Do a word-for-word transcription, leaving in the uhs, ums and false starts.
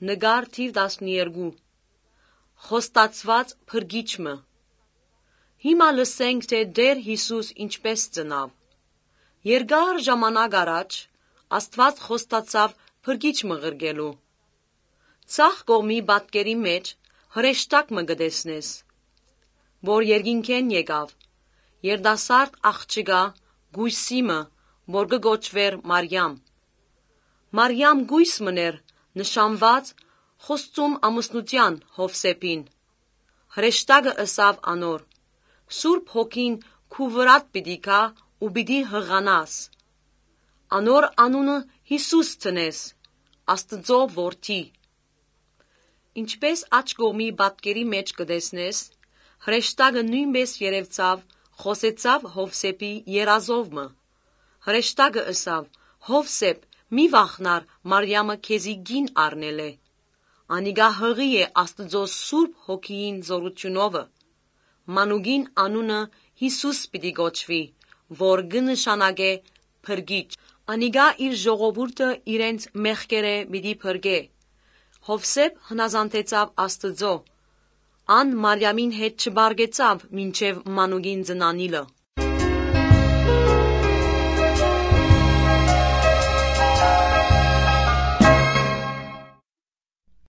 Նկար թիվ տասներկու։ Խոստացուած փրկիչ մը։ Հիմա լսենք թէ Տէր Յիսուս ինչպէս ծնաւ։ Երկար ժամանակ առաջ Աստուած խոստացաւ փրկիչ մը ղրկելու։ Ձախ կողմի պատկերի մէջ հրեշտակ մը կը տեսնես, որ երկինքէն եկաւ, երիտասարդ աղջիկա, կոյսի մը, որ կը կոչուէր Մարիամ։ Մարիամ կոյս մըն էր, նշանուած խոստում ամուսնութեան Յովսէփին։ Հրեշտակը ըսաւ անոր. «Սուրբ Հոգին քու վրադ պիտի գայ ու պիտի յղանաս։ Անոր անունը Յիսուս դնես, Աստուծոյ Որդի»։ Ինչպէս աջ կողմի պատկերի մէջ կը տեսնես, հրեշտակը նոյնպէս երեւցաւ, խօսեցաւ Յովսէփի երազով մը։ Հրեշտակը ըսաւ. «Յովսէփ, մի վախնար Մարիամը քեզի կին առնելէ։ Անիկա յղի է Աստուծոյ Սուրբ Հոգիին զօրութիւնովը։ Մանուկին անունը Յիսուս պիտի կոչուի, որ կը նշանակէ փրկիչ։ Անիկա իր ժողովուրդը իրենց մեղքերէ պիտի փրկէ»։ Յովսէփ հնազանդեցաւ Աստուծոյ։ Ան Մարիամին հետ չպարկեցաւ մինչեւ մանուկին ծնանիլը։